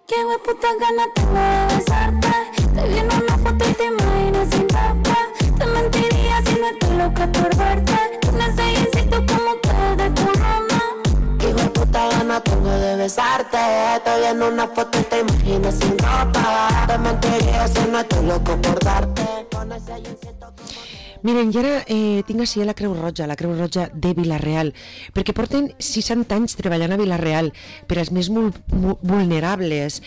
Qué hueputa gana tengo de besarte. Te vi en una foto y te imaginas sin tapa. Te mentiría si no estoy loca por verte. Un ensayecito como que de tu mamá. Qué hueputa gana tengo de besarte. Te vi en una foto y te imaginas sin ropa. Te mentiría si no estoy loco por darte. Con ese ensayecito como... Miren, i ara tinc així la Creu Roja de Vila-real, perquè porten 60 anys treballant a Vila-real per als més vulnerables.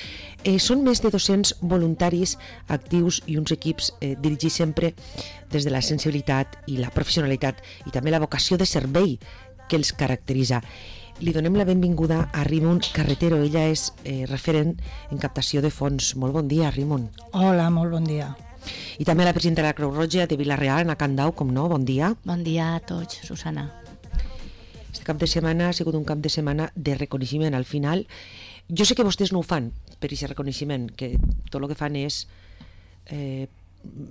Són més de 200 voluntaris actius i uns equips dirigits sempre des de la sensibilitat i la professionalitat i també la vocació de servei que els caracteritza. Li donem la benvinguda a Rimon Carretero. Ella és referent en captació de fons. Molt bon dia, Rimon. Hola, molt bon dia. I també la presidenta de la Creu Roja de Vila-real, Ana Candau, com no, bon dia. Bon dia a tots, Susana. Este cap de setmana ha sigut un cap de setmana de reconeixement. Al final, jo sé que vostès no ho fan per aquest reconeixement, que tot el que fan és,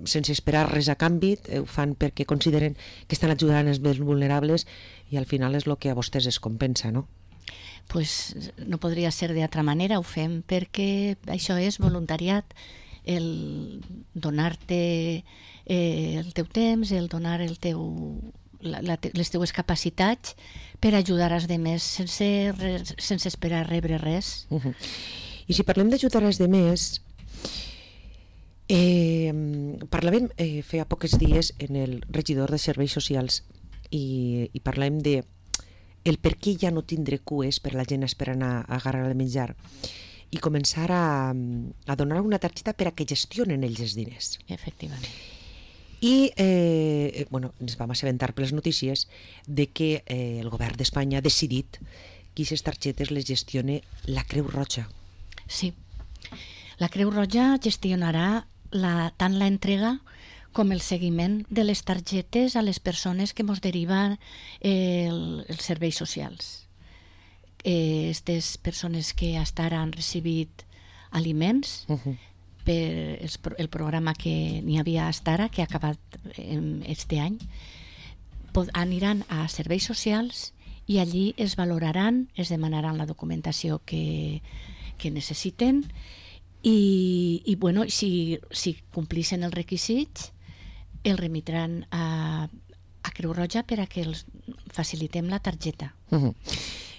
sense esperar res a canvi, ho fan perquè consideren que estan ajudant els més vulnerables i al final és el que a vostès es compensa, no? Pues no podria ser d'altra manera, ho fem perquè això és voluntariat, el donar-te el teu temps, el donar el teu, les teues capacitats per ajudar als demés sense esperar rebre res. I si parlem d'ajudar als demés, parlàvem feia pocs dies en el regidor de Serveis Socials i parlàvem de el per què ja no tindre cues per la gent esperant a agarrar el menjar i començar a donar una targeta per a que gestionen ells els diners. Efectivament. I ens vam assabentar per les notícies de que el govern d'Espanya ha decidit que aquestes targetes les gestione la Creu Roja. Sí. La Creu Roja gestionarà tant l'entrega com el seguiment de les targetes a les persones que ens deriven els serveis socials. Aquestes persones que hasta ara han recibit aliments per el programa que n'hi havia hasta ara, que ha acabat este any, aniran a serveis socials i allí es valoraran, es demanaran la documentació que necessiten i bueno, si complixen els requisits el remitran a Creu Roja per a que els facilitem la targeta.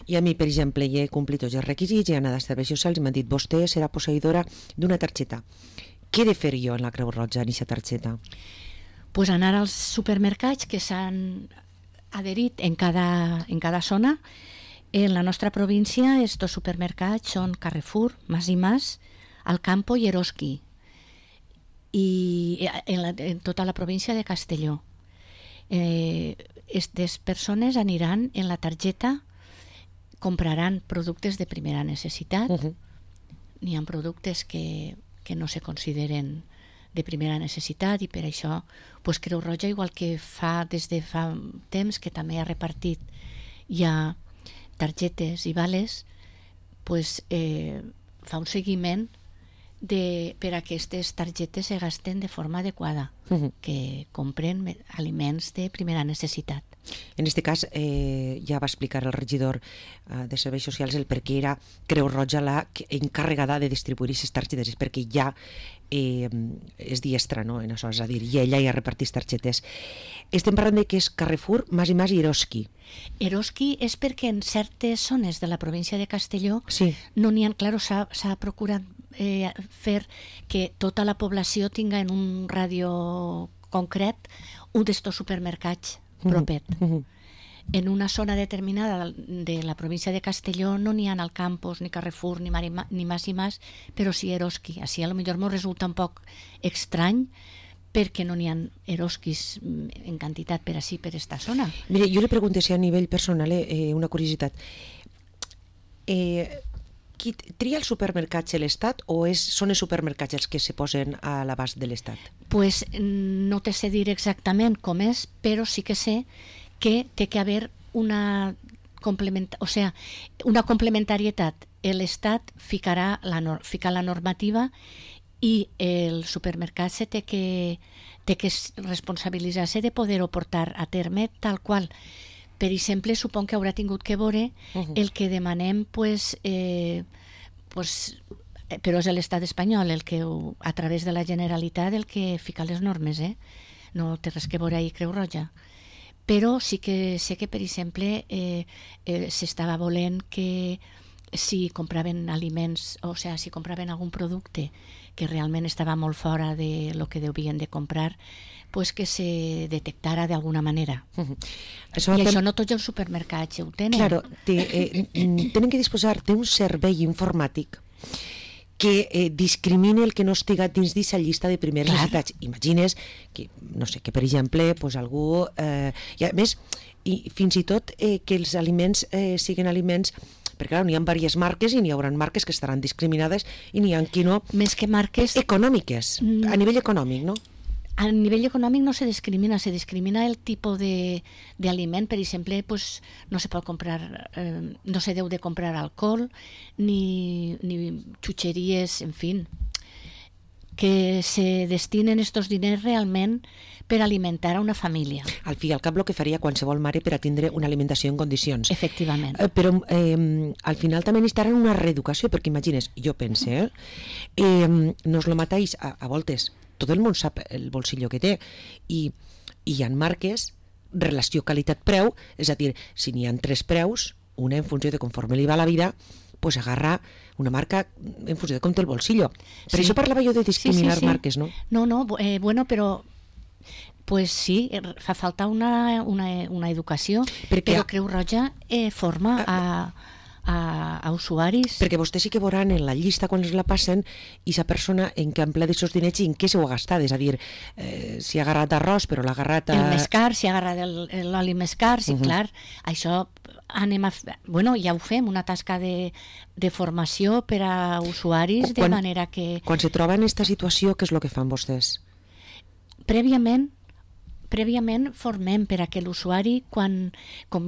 I a mi, per exemple, ja he complit tots els requisits, he anat a serveis socials i m'han dit vostè serà posseïdora d'una targeta. Què he de fer jo en la Creu Roja en aquesta targeta? Pues anar als supermercats que s'han adherit en cada zona. En la nostra província estos supermercats són Carrefour, Mas i Mas, Alcampo i Eroski, i en tota la província de Castelló. Aquestes persones aniran en la targeta, compraran productes de primera necessitat. N'hi ha productes que no se consideren de primera necessitat i per això Creu Roja, igual que des de fa temps que també ha repartit ja targetes i vales, fa un seguiment per a que aquestes targetes se gasten de forma adequada, que compren aliments de primera necessitat. En aquest cas, ja va explicar el regidor de Serveis Socials el per què era Creu Roja la encarregada de distribuir aquestes targetes, és perquè ja és diestra, no? En això, és a dir, i ella ja repartís targetes. Estem parlant de que és Carrefour, Mas i Mas i Eroski. Eroski és perquè en certes zones de la província de Castelló no n'hi ha, clar, s'ha procurat fer que tota la població tinga en un ràdio concret un d'estos supermercats propet. En una zona determinada de la província de Castelló no n'hi ha al Campos, ni Carrefour, ni Mas i Mas, però sí Eroski. Així a lo millor m'ho resulta un poc estrany perquè no n'hi ha Eroskis en quantitat per així, per esta zona. Mire, jo li pregunto si a nivell personal, una curiositat. Qui tria els supermercats l'Estat o són els supermercats els que se posen a l'abast de l'Estat? Pues no te sé dir exactament com és, però sí que sé que té que haver una complementarietat. L'Estat fica la normativa i el supermercat té que responsabilitzar-se de poder-ho portar a terme tal qual. Per exemple, supon que haurà tingut que veure el que demanem però és l'estat espanyol el que, a través de la Generalitat, el que fica les normes, no té res que veure ahir Creu Roja. Però sí que sé que, per exemple, s'estava volent que si compraven aliments, o sigui, si compraven algun producte que realment estava molt fora de lo que devien de comprar, pues que se detectara d'alguna manera. I això no tots els supermercats ho tenen. Claro, tenen que disposar d'un servei informàtic que discrimine el que no estiga dins d'aquesta llista de primeres necessitats. Imagines que, no sé, que per exemple, pues algú... I a més, fins i tot que els aliments siguin aliments... Perquè clar, n'hi ha diverses marques i n'hi haurà marques que estaran discriminades i n'hi ha qui no... Més que marques... Econòmiques, a nivell econòmic, no? A nivell econòmic no se discrimina el tipus d'aliment. Per exemple, pues, no se pot comprar, no se deu de comprar alcohol, ni xutxeries, en fi, que se destinen estos diners realment per alimentar a una família. Al fi i al cap el que faria qualsevol mare per a tindre una alimentació en condicions. Efectivament. Però al final també necessitaran una reeducació, perquè imagines, jo pense, no és el mateix a voltes. Tot el món sap el bolsillo que té i hi ha marques, relació qualitat-preu, és a dir, si n'hi ha 3 preus, una en funció de conforme li va la vida, pues agarra una marca en funció de com té el bolsillo. Per això parlava jo de discriminar marques, no? No, bueno, però pues sí, fa falta una educació, però Creu Roja forma a usuaris. Perquè vostès sí que veuran en la llista quan es la passen i sa persona en què emplea d'aquests diners i en què s'ho ha gastat, és a dir, si ha agarrat arròs però l'ha agarrat el més car, si ha agarrat l'oli més car, sí, clar, això anem a... Bueno, ja ho fem, una tasca de formació per a usuaris, de manera que... Quan se troba en aquesta situació, què és el que fan vostès? Prèviament formem per a que l'usuari, com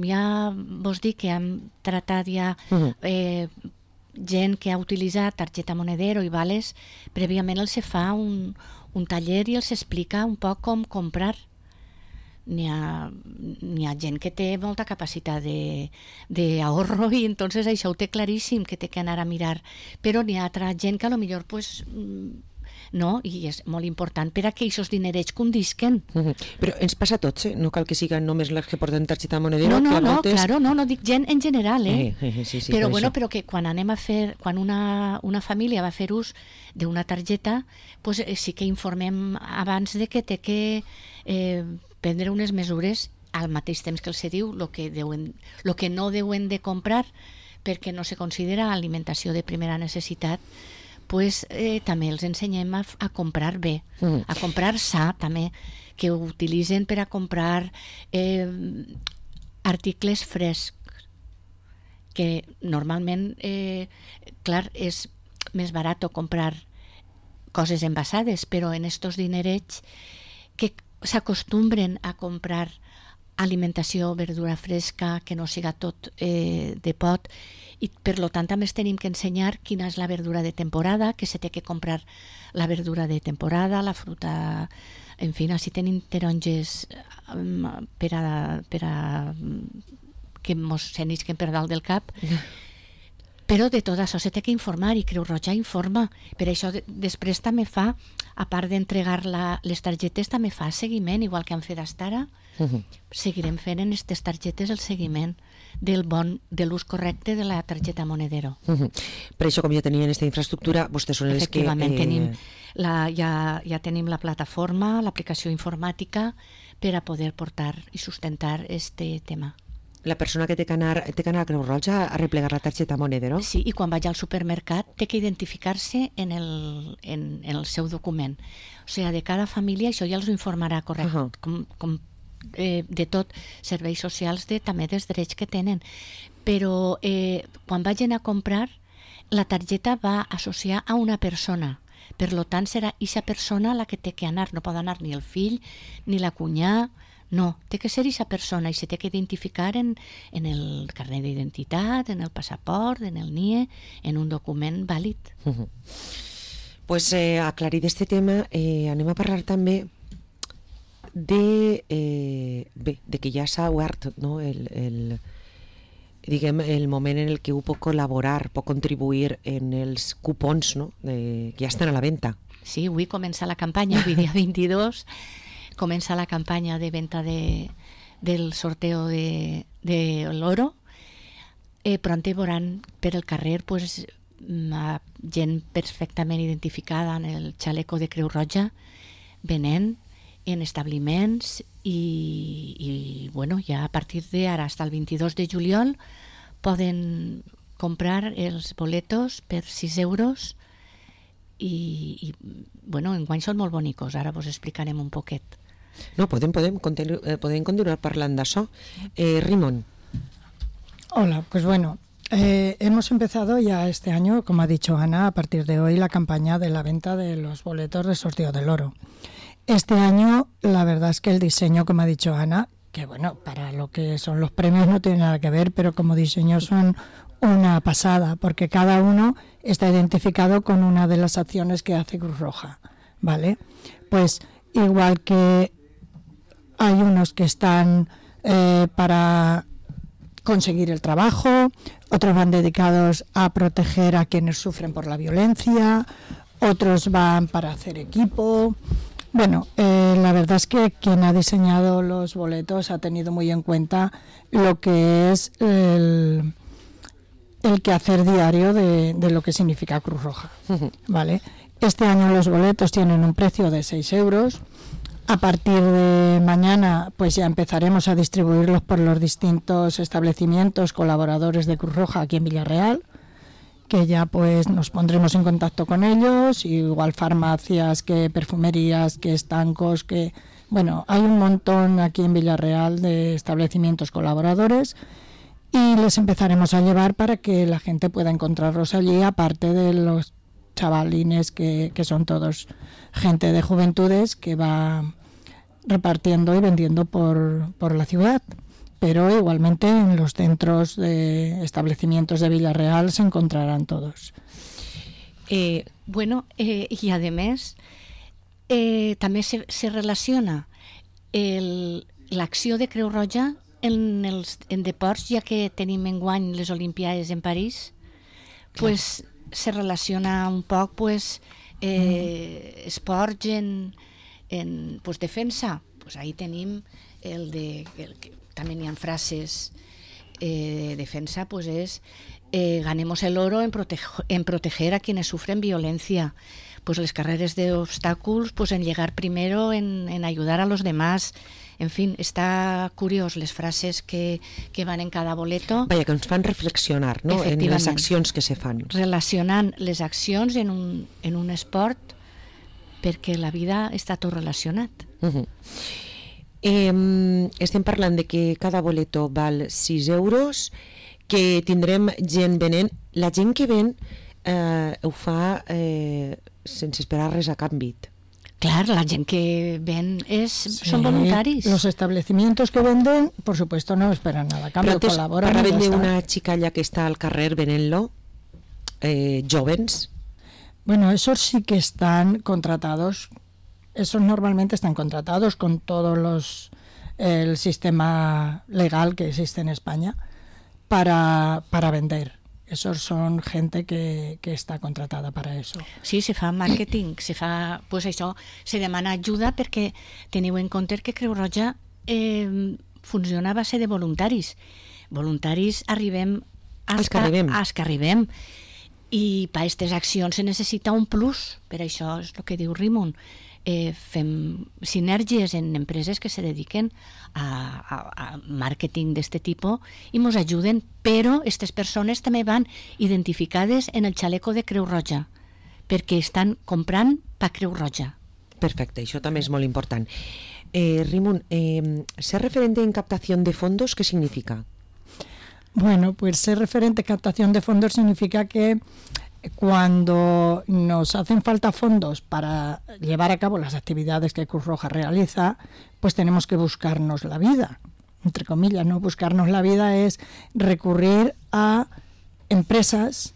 ja vos dic que hem tratat ja gent que ha utilitzat targeta Monedero i vales, prèviament els se fa un taller i els explica un poc com comprar. N'hi ha gent que té molta capacitat d'ahorro i entonces això ho té claríssim que té que anar a mirar, però n'hi ha altra gent que a lo millor pues... no, i és molt important per a que aquests dinerets condisquen. Però ens passa a tots, no cal que siguin només les que porten targeta Monedero. No, dic gent en general, sí, però bueno, però que quan anem a fer, quan una família va fer ús d'una targeta, pues sí que informem abans de que té que prendre unes mesures al mateix temps que els diu lo que no deuen de comprar perquè no se considera alimentació de primera necessitat. Pues també els ensenyem a comprar bé, a comprar sa també, que ho utilitzen per a comprar articles frescs, que normalment, clar, és més barat comprar coses envasades, però en estos dinerets que s'acostumbren a comprar alimentació, verdura fresca, que no siga tot de pot, i per lo tant també tenim que ensenyar quina és la verdura de temporada, que se té que comprar la verdura de temporada, la fruta, en fi, si tenim taronges per a que mos s'enisquen per dalt del cap, però de tot això se té que informar i Creu Roja informa. Per això després també fa, a part d'entregar les targetes, també fa seguiment, igual que han fet fins ara. Seguirem fent en aquestes targetes el seguiment de l'ús correcte de la targeta Monedero. Per això, com ja tenien aquesta infraestructura, vostès són els que... Efectivament, ja tenim la plataforma, l'aplicació informàtica per a poder portar i sustentar este tema. La persona que té que anar a Creu Roja a replegar la targeta Monedero? Sí, i quan vaig al supermercat té que identificar-se en el seu document. O sigui, de cada família, això ja els ho informarà correcte, com de tot, serveis socials, també dels drets que tenen. Però quan vagin a comprar, la targeta va associar a una persona. Per tant, serà aquesta persona la que té que anar. No pot anar ni el fill, ni la cunyà. No, té que ser aquesta persona i se té que identificar en el carnet d'identitat, en el passaport, en el NIE, en un document vàlid. Pues aclarit este tema, anem a parlar també de que ja s'ha obert, no, diguem, el moment en el que puc col·laborar, puc contribuir en els cupons, no?, que ja estan a la venda. Sí, avui comença la campanya, avui dia 22, comença la campanya de venda del sorteo de l'oro. Pronte veuran per el carrer pues, gent perfectament identificada en el xaleco de Creu Roja, venent en establiments i bueno, ja a partir d'ara fins al 22 de juliol poden comprar els boletos per 6 euros i bueno, enguany són molt bonicos, ara vos explicarem un poquet. No, podem continuar parlant d'això. Rimon. Hola, pues bueno, hemos empezado ya este año, como ha dicho Ana, a partir de hoy la campaña de la venta de los boletos de sorteo del oro. Este año la verdad es que el diseño, como ha dicho Ana, que bueno, para lo que son los premios no tiene nada que ver, pero como diseño son una pasada, porque cada uno está identificado con una de las acciones que hace Cruz Roja, ¿vale? Pues igual que hay unos que están para conseguir el trabajo, otros van dedicados a proteger a quienes sufren por la violencia, otros van para hacer equipo. Bueno, la verdad es que quien ha diseñado los boletos ha tenido muy en cuenta lo que es el quehacer diario de lo que significa Cruz Roja, ¿vale? Este año los boletos tienen un precio de 6 euros. A partir de mañana pues ya empezaremos a distribuirlos por los distintos establecimientos colaboradores de Cruz Roja aquí en Villarreal, que ya pues nos pondremos en contacto con ellos, igual farmacias, que perfumerías, que estancos, que bueno, hay un montón aquí en Villarreal de establecimientos colaboradores y les empezaremos a llevar para que la gente pueda encontrarlos allí, aparte de los chavalines que son todos gente de juventudes que va repartiendo y vendiendo por la ciudad. Pero igualmente en los centros de establecimientos de Villarreal se encontrarán todos. Bueno, y además també se relaciona l'acció de Creu Roja en deports, ja que tenim enguany les Olimpiades en París, pues se relaciona un poc pues, esports en pues, defensa. Pues ahí tenim també n'hi ha frases defensa, pues es ganemos el oro en proteger a quienes sufren violencia. Pues les carreres de obstáculos, pues en llegar primero, en ayudar a los demás. En fin, està curiós les frases que van en cada boleto. Vaja, que ens fan reflexionar, no?, en les accions que se fan. Relacionant les accions en un esport, perquè la vida està tot relacionat. Estem parlant de que cada boleto val 6 euros, que tindrem gent venent. La gent que ven ho fa sense esperar res a canvi. Claro, la gente que ven son voluntarios. Los establecimientos que venden, por supuesto, no esperan nada a cambio, colaboran. Para vender una xicalla que está al carrer venent-lo, jóvenes. Bueno, esos sí que están contratados. Esos normalmente están contratados con todos el sistema legal que existe en España para vender. Esos son gente que està contratada per a això. Sí, se fa màrqueting, pues això, se demana ajuda perquè teniu en compte que Creu Roja funciona a base de voluntaris. Voluntaris arribem als que arribem. I per aquestes accions se necessita un plus, per això és el que diu Rimon. Fem sinergies en empreses que se dediquen a màrqueting d'aquest tipus i ens ajuden, però aquestes persones també van identificades en el xaleco de Creu Roja, perquè estan comprant per Creu Roja. Perfecte, això també és molt important. Rimon, ser referente en captación de fondos, ¿qué significa? Bueno, pues ser referente en captación de fondos significa que cuando nos hacen falta fondos para llevar a cabo las actividades que Cruz Roja realiza, pues tenemos que buscarnos la vida, entre comillas, ¿no? Buscarnos la vida es recurrir a empresas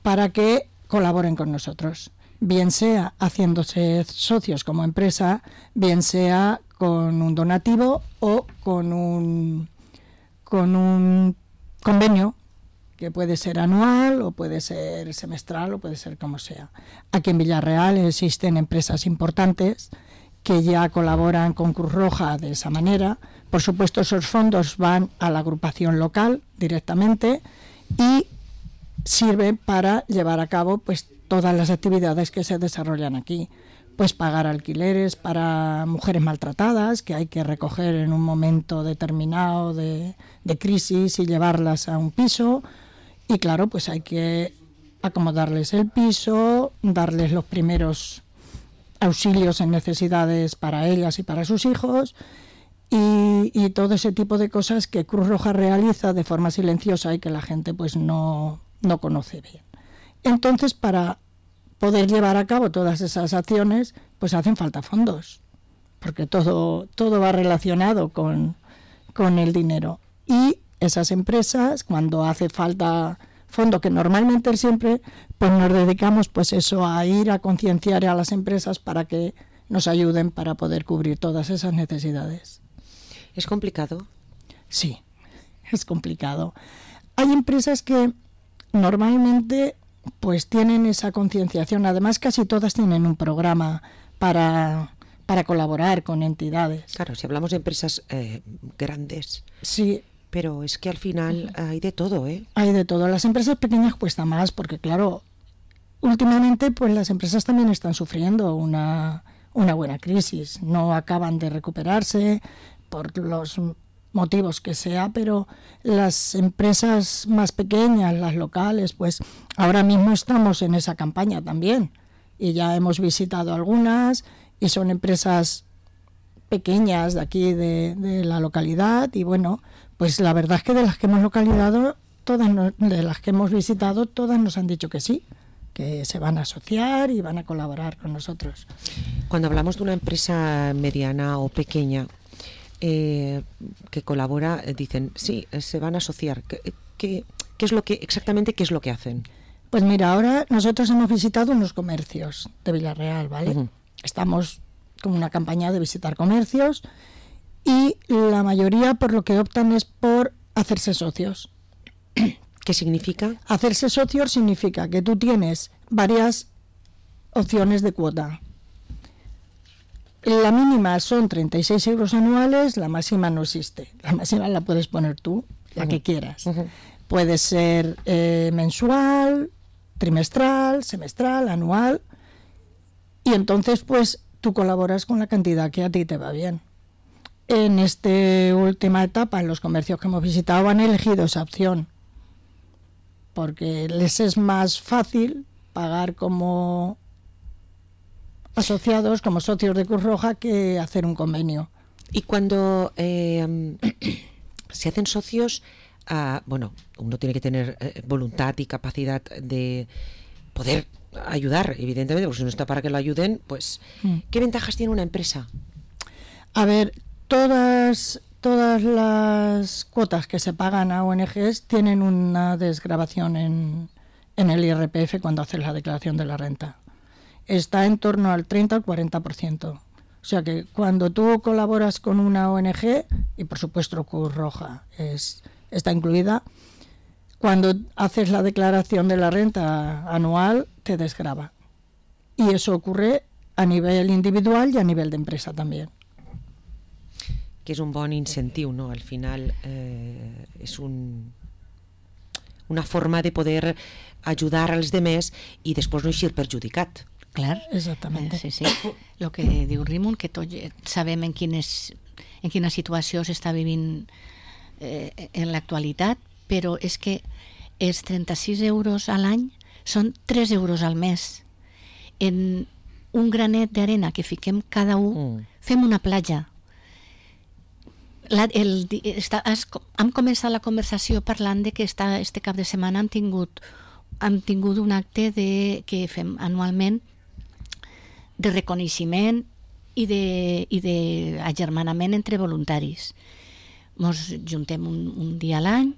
para que colaboren con nosotros, bien sea haciéndose socios como empresa, bien sea con un donativo o con un convenio, que puede ser anual o puede ser semestral o puede ser como sea. Aquí en Villarreal existen empresas importantes que ya colaboran con Cruz Roja de esa manera. Por supuesto, esos fondos van a la agrupación local directamente y sirven para llevar a cabo pues todas las actividades que se desarrollan aquí. Pues pagar alquileres para mujeres maltratadas, que hay que recoger en un momento determinado de crisis y llevarlas a un piso. Y claro, pues hay que acomodarles el piso, darles los primeros auxilios en necesidades para ellas y para sus hijos, y todo ese tipo de cosas que Cruz Roja realiza de forma silenciosa y que la gente pues no conoce bien. Entonces, para poder llevar a cabo todas esas acciones, pues hacen falta fondos, porque todo va relacionado con el dinero. Y esas empresas, cuando hace falta fondo, que normalmente siempre, pues nos dedicamos pues eso, a ir a concienciar a las empresas para que nos ayuden para poder cubrir todas esas necesidades. ¿Es complicado? Sí, es complicado. Hay empresas que normalmente pues tienen esa concienciación. Además, casi todas tienen un programa para colaborar con entidades. Claro, si hablamos de empresas grandes. Sí. Pero es que al final hay de todo, ¿eh? Hay de todo. Las empresas pequeñas cuesta más porque, claro, últimamente pues las empresas también están sufriendo una buena crisis. No acaban de recuperarse por los motivos que sea, pero las empresas más pequeñas, las locales, pues ahora mismo estamos en esa campaña también. Y ya hemos visitado algunas y son empresas pequeñas de aquí, de la localidad, y bueno, pues la verdad es que de las que hemos de las que hemos visitado, todas nos han dicho que sí, que se van a asociar y van a colaborar con nosotros. Cuando hablamos de una empresa mediana o pequeña que colabora, dicen, sí, se van a asociar. ¿Qué es lo que exactamente qué es lo que hacen? Pues mira, ahora nosotros hemos visitado unos comercios de Villarreal, ¿vale? Uh-huh. Estamos con una campaña de visitar comercios y la mayoría por lo que optan es por hacerse socios. ¿Qué significa? Hacerse socios significa que tú tienes varias opciones de cuota. La mínima son 36 euros anuales, la máxima no existe. La máxima la puedes poner tú, la que quieras. Uh-huh. Puede ser mensual, trimestral, semestral, anual. Y entonces, pues, tú colaboras con la cantidad que a ti te va bien. En esta última etapa, en los comercios que hemos visitado, han elegido esa opción. Porque les es más fácil pagar como asociados, como socios de Cruz Roja, que hacer un convenio. Y cuando se hacen socios, bueno, uno tiene que tener voluntad y capacidad de poder ayudar, evidentemente, porque si no está para que lo ayuden, pues ¿qué ventajas tiene una empresa? A ver, todas las cuotas que se pagan a ONGs tienen una desgravación en el IRPF cuando haces la declaración de la renta. Está en torno al 30 al 40%. O sea que cuando tú colaboras con una ONG, y por supuesto Cruz Roja está incluida, cuando haces la declaración de la renta anual te desgrava. Y eso ocurre a nivel individual y a nivel de empresa también. Que és un bon incentiu, no? Al final és una forma de poder ajudar als demés i després no eixir perjudicat. Clar, exactament. Sí. El que diu Rímon, que tots sabem en quina situació s'està vivint en l'actualitat, però és que els 36 euros a l'any són 3 euros al mes. En un granet d'arena que fiquem cada un, fem una platja. Hem començat la conversació parlant de que este cap de setmana hem tingut un acte que fem anualment de reconeixement i d'agermanament entre voluntaris. Ens juntem un dia a l'any,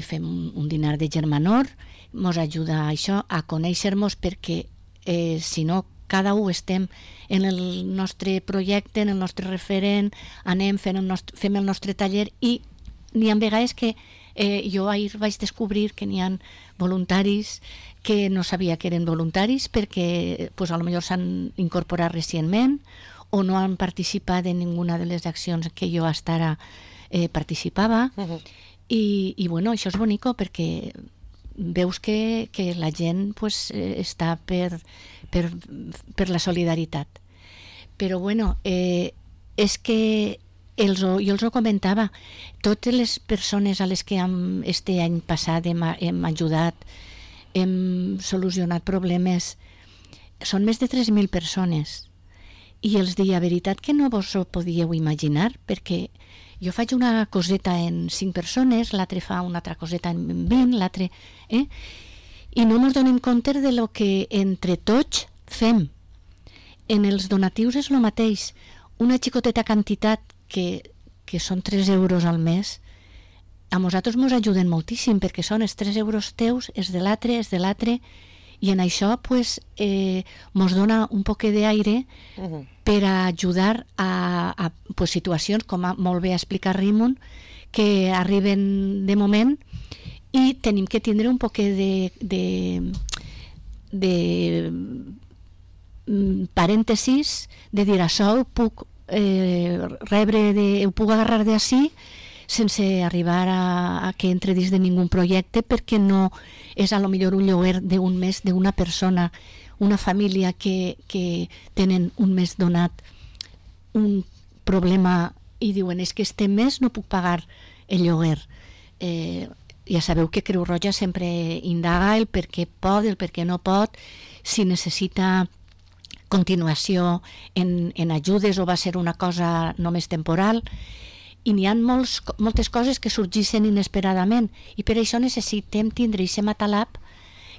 fem un dinar de germanor, ens ajuda això a conèixer-nos perquè si no cada un estem en el nostre projecte, en el nostre referent, anem, fem el nostre taller i n'hi ha vegades que Jo ahir vaig descobrir que n'hi ha voluntaris que no sabia que eren voluntaris perquè pues, a lo millor s'han incorporat recentment o no han participat en ninguna de les accions que jo hasta ara participava. I bueno, això és bonico perquè veus que la gent pues, està per la solidaritat. Però bueno, és que jo els ho comentava, totes les persones a les que este any passat hem ajudat, hem solucionat problemes, són més de 3.000 persones. I els dia, veritat que no vos ho podíeu imaginar, perquè jo faig una coseta en 5 persones, l'altre fa una altra coseta en 20, l'altre... I no ens donem compte de lo que entre tots fem. En els donatius és el mateix. Una xicoteta quantitat que són 3 euros al mes, a nosaltres ens ajuden moltíssim perquè són els 3 euros teus, els de l'altre, i en això pues, ens dona un poc d'aire per a ajudar a pues, situacions, com molt bé ha explicat Raymond, que arriben de moment i tenim que tindre un poc de parèntesis de dir això ho puc ho puc agarrar d'ací sense arribar a que entre dins de ningú projecte, perquè no és a lo millor un lloguer d'un mes d'una persona, una família que tenen un mes donat un problema i diuen és que este mes no puc pagar el lloguer. Ja sabeu que Creu Roja sempre indaga el per què pot, el per què no pot, si necessita continuació en ajudes o va ser una cosa només temporal, i n'hi ha moltes coses que sorgeixen inesperadament i per això necessitem tindre aquest matalap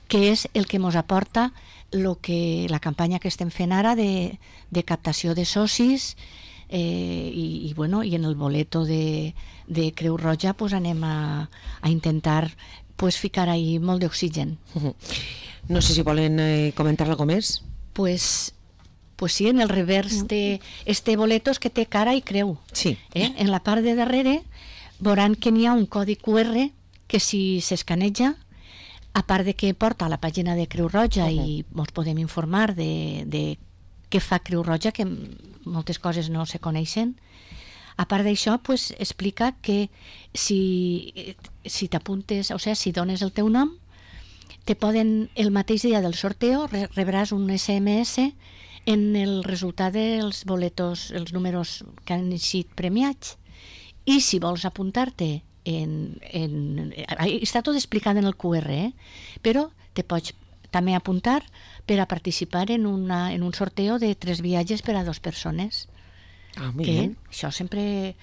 que és el que ens aporta la campanya que estem fent ara de captació de socis i en el boleto de Creu Roja pues anem a intentar pues ficar ahí molt d'oxigen. No sé si volen comentar alguna més. Pues sí, en el revers de este boleto és que té cara i creu. Sí. En la part de darrere veuran que n'hi ha un codi QR que si s'escaneja, a part de que porta a la pàgina de Creu Roja i ens podem informar de què fa Creu Roja, que moltes coses no se coneixen, a part d'això pues, explica que si t'apuntes, o sigui, si dones el teu nom, el mateix dia del sorteo rebràs un SMS en el resultat dels boletos, els números que han sigut premiats. I si vols apuntar-te està tot explicat en el QR, però te pots també apuntar per a participar en un sorteo de 3 viatges per a 2 persones. Que això sempre...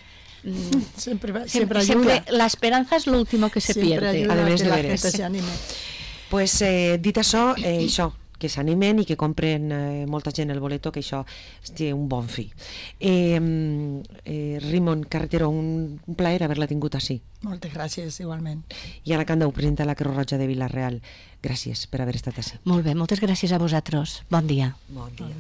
Siempre la esperanza es lo último que se pierde. Además de veres. Pues dit això, que s'animen i que compren molta gent el boleto, que això té un bon fi. Raymond Carretero, un plaer haver-la tingut així. Moltes gràcies, igualment. I Anna Candau, presidenta de la Creu Roja de Vila-real, gràcies per haver estat així. Molt bé, moltes gràcies a vosaltres. Bon dia. Bon dia.